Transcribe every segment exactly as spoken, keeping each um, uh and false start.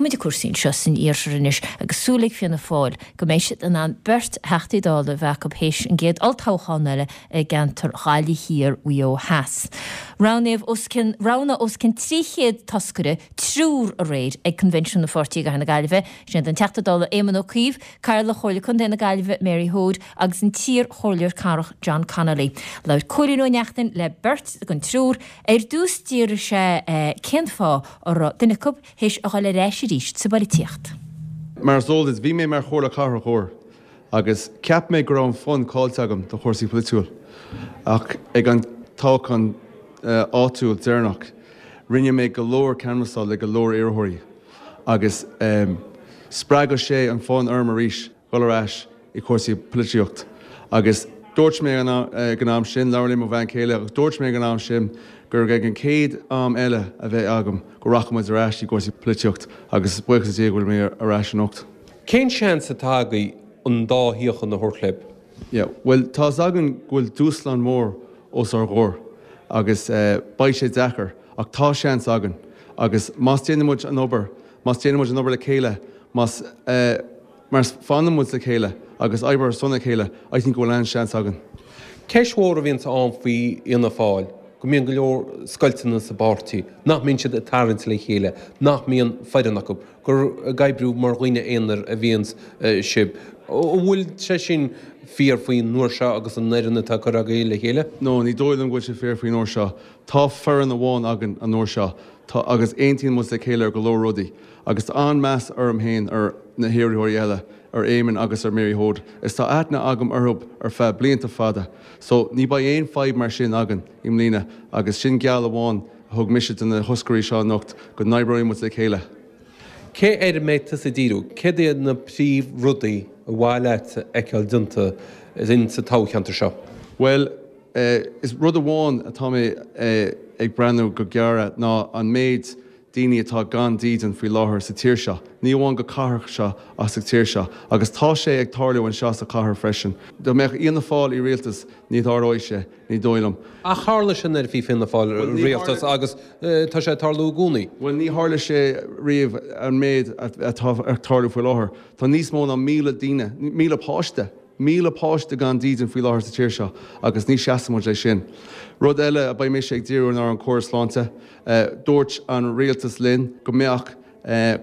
Feicfimid cúrsaí anseo san iarthar anois agus súil ag Fianna Fáil go mbeidh siad in ann beirt Theachtaí Dála a bheith acu théis an gcéad olltoghchán eile i gceantar Ghaillimh Thiar Mhaigh Eo Theas. Roghnaíodh os cionn roghnaíodh os cionn trí chéad toscaire triúr aréir ag Convention na Pháirtí i gCathair na Gaillimhe, sin an Teachta Dála Éamon Ó Cuív, Cathaoirleach Chomhairle Contae na Gaillimhe Mary Hoade agus an t-iarchomhairleoir cathrach John Connolly. Labhair Cóilín Ó Neachtain le beirt den triúr ar dtús d'fhiafraigh sé cén fáth a raibh duine acu théis a dhul ar ais arís sa bpolaitíocht. Mar is eol duit, bhí mé mar chomhairleoir cathrach uair agus cheap mé go raibh an fonn caillte agam do chúrsaí polaitiúil ach ag an toghchán áitiúil deireanach rinne mé go leor canbhasáil le go leor iarrthóirí agus um, spreag sé an fonn orm arís dul ar ais i cúrsaí polaitíocht agus dúirt mé ag an am sin labhair le mo bhean chéile agus dúirt mé ag an am sin gur ag an céad am eile a bheith agam go rachaidh ar ais i gcúrsaí polaitíocht agus buíochas le Dia go bhfuil mé ar ais anocht. Cén seans atá agaibh an dá shuíochán a thabhairt libh? Yeah, well tá againn go bhfuil dúshlán mór os ár gcomhair agus uh, beidh sé deacair ach tá seans againn agus más déanaimid an obair, más déanaimid an obair le chéile, más uh, mar fanfaimid le chéile agus obair ar son a chéile, I think go bhfuil an seans againn. Ceist mhór a bhíonn ann faoi Fhianna Fáil, go mbíonn go leor scoilteanna sa bpáirtí, nach mbíonn siad ag tarraingt le chéile, nach mbíonn foireann acu, gur ag oibriú mar dhaoine aonair a bhíonn sibh. An bhfuil sé sin fíor faoin uair seo agus an fhoireann atá curtha agaibh le chéile? No, ní dóigh liom go bhfuil sé fíor faoin uair seo. Tá foireann amháin againn an uair seo Tá agus aontaíonn muid le chéile ar go leor rudaí, agus tá an-meas orm féin ar na hiarrthóirí eile ar Éamon agus ar Mary Hoade. Is tá aithne agam orthu ar feadh blianta fada, so ní bheidh aon fadhb mar sin againn i mbliana agus sin geall amháin a thug mise do na toscairí seo anocht go n-oibreoidh muid le chéile. Cé air a mbeidh tusa ag díriú, céard iad na príomhrudaí ar mhaith leat a fheiceáil déanta in sa toghcheantar seo? Well, uh, is rud amháin atá mé uh, ag breathnú go géar ná an méid daoine atá gan dídean faoi láthair sa tír seo. Ní amháin go cathair seo ach sa tír seo, agus tá sé ag tarlú anseo sa chathair freisin. Dá mbeadh Fianna Fáil i rialtas ní tharlódh sé, ní dóigh liom. Ach tharla sin nuair a bhí Fianna Fáil i rialtas agus tá sé ag tarlú i gcónaí. Well ní tharla sé riamh an méid atá ag tarlú faoi láthair. Tá níos mó ná míle daoine, míle páiste, míle páiste gan dídean faoi láthair sa tír seo agus ní seasfaimid é sin. Rud eile a beidh mise ag díriú ar an córas sláinte, dúirt an rialtas linn go mbeadh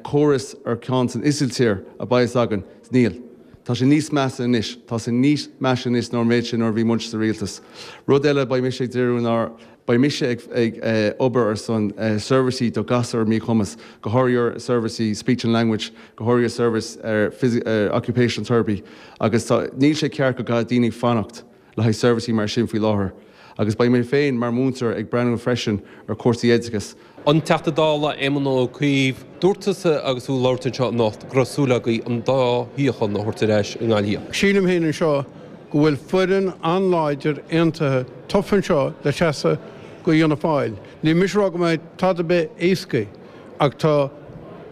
córas ar ceann san Ísiltír a bheas againn níl. Tá sé níos measa anois, Tá sé níos measa anois ná an méid sin nuair a bhí muid sa rialtas. Rud eile beidh mise ag díriú ná beidh mise ag, ag uh, obair ar son uh, seirbhísí do ghasúir míchumas, go háirithe seirbhísí speech and language, go háirithe service ar uh, occupational therapy, agus tá, níl sé ceart go gcaithfidh daoine fanacht le haghaidh seirbhísí mar sin faoi láthair. Agus beidh mé féin mar mhúinteoir ag breathnú freisin ar cúrsaí oideachais. An Teachta Dála Éamon Ó Cuív, dúirt tusa agus tú ag labhairt anseo anocht go raibh súil agaibh an dá shuíochán a thabhairt ar ais i nGaillimh. Sílim féin anseo go bhfuil foireann an-láidir aontaithe tofa anseo le seasamh do Fhianna Fáil. Ní mise rá go mbeidh tada bith éasca ach tá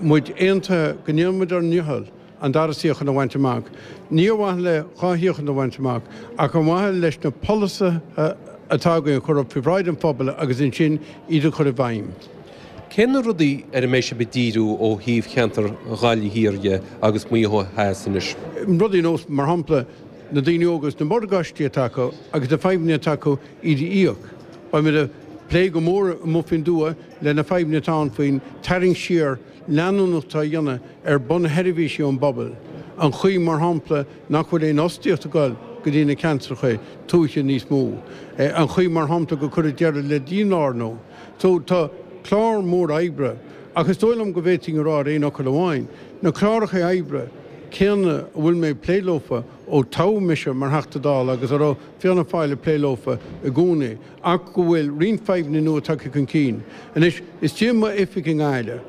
muid aontaithe go ndéanfaimid ár ndícheall an dara suíochán a bhaint amach. Ní amháin le dhá shuíochán a bhaint amach ach ar mhaithe leis na polasaithe atá againn a chur faoi bhráid an phobail agus ansin iad a chur i bhfeidhm. Cé na rudaí ar a mbeidh sibh ag díriú ó thaobh cheantar Ghaillimh Thiar dhe agus Maigh Eo Theas anois? Rudaí nós mar shampla na daoine óga agus na morgáistí atá acu agus na fadhbanna atá acu iad a íoc. Beimid ag plé go mór amuigh faoin dtuath le na fadhbanna atá ann faoin tarraingt siar leanúnach atá á dhéanamh ar bunsheirbhísí ón bpobal. An chaoi mar shampla nach bhfuil aon fhostaíocht ag dul go dtí na ceantracha tuaithe níos mó. An chaoi mar shampla gur cuireadh deireadh le dílárnú. So tá clár mór oibre, ach is dóigh liom go bhféadfainn a rá ar aon fhocal amháin, na cláracha oibre céanna a bhfuil mé ag plé leofa ó toghadh mise mar Theachta Dála agus a raibh Fianna Fáil ag plé leofa i gcónaí, ach go bhfuil roinnt fadhbanna nua tagtha chun cinn. Anois, istigh i m'oifig i nGaillimh,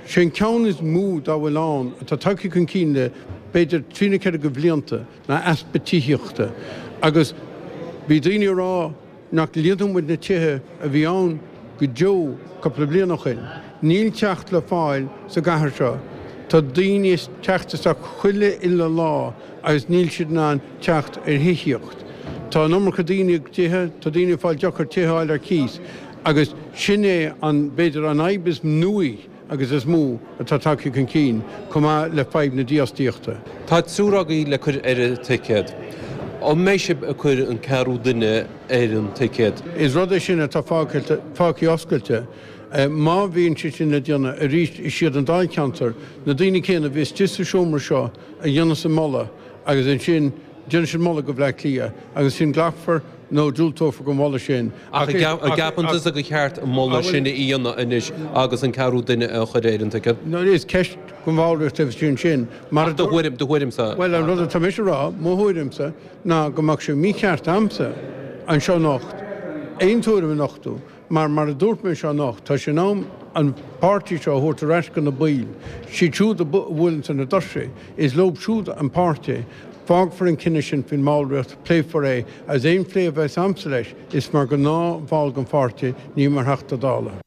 sé an ceann is mó dá bhfuil ann atá tagtha chun cinn le b'fhéidir trí nó ceithre de bhlianta ná easpa tithíochta. Agus bhí daoine ag rá nach líonfadh muid na tithe a bhí ann go deo cúpla bliain ó shin. Níl teach le fáil sa gcathair seo. Tá daoine ag teacht isteach chuile uile lá agus níl siad in ann teacht ar thithíocht. Tá an iomarca daoine i dtithe, tá daoine ag fáil deacair tithe a fháil ar cíos agus sin é an b'fhéidir an fhadhb is nuaí agus is mó atá tagtha chun cinn, chomh maith le fadhb na dífhostaíochta. Tá triúr agaibh le cur ar an ticéad. An mbeidh sibh ag cur an ceathrú duine ar an ticéad? Is rud é sin atá fágtha oscailte. Má bhíonn sé sin le déanamh arís, is iad an Dáilcheantar, na daoine céanna a bhí istigh sa seomra seo a dhéanfas an moladh agus ansin déanfaidh siad moladh go Bleá Cliath agus ansin glacfar nó diúltófar don mholadh sin. Ach an gceapann tusa gur cheart an moladh sin a dhéanamh anois agus an ceathrú duine a chur ar an ticéad? Is ceist don bhallraíocht a bheas ansin. Mar do thuairim, do thuairimse. Bhuel, an rud atá mise a rá, mo thuairimse, ná go mbeadh sé mícheart a'msa anseo anocht aon tuairim a nochtadh mar, mar a dúirt mé anseo anocht, tá sé in am an páirtí seo a thabhairt ar ais go na baill, siad siúd a bhuaileanns ar na doirse, is leob siúd an páirtí. Fágfar an cinneadh sin faoin mballraíocht, pléifear é, agus aon phlé a bheas a'msa leis, is mar ghnáthbhall den pháirtí, ní mar Theachta Dála.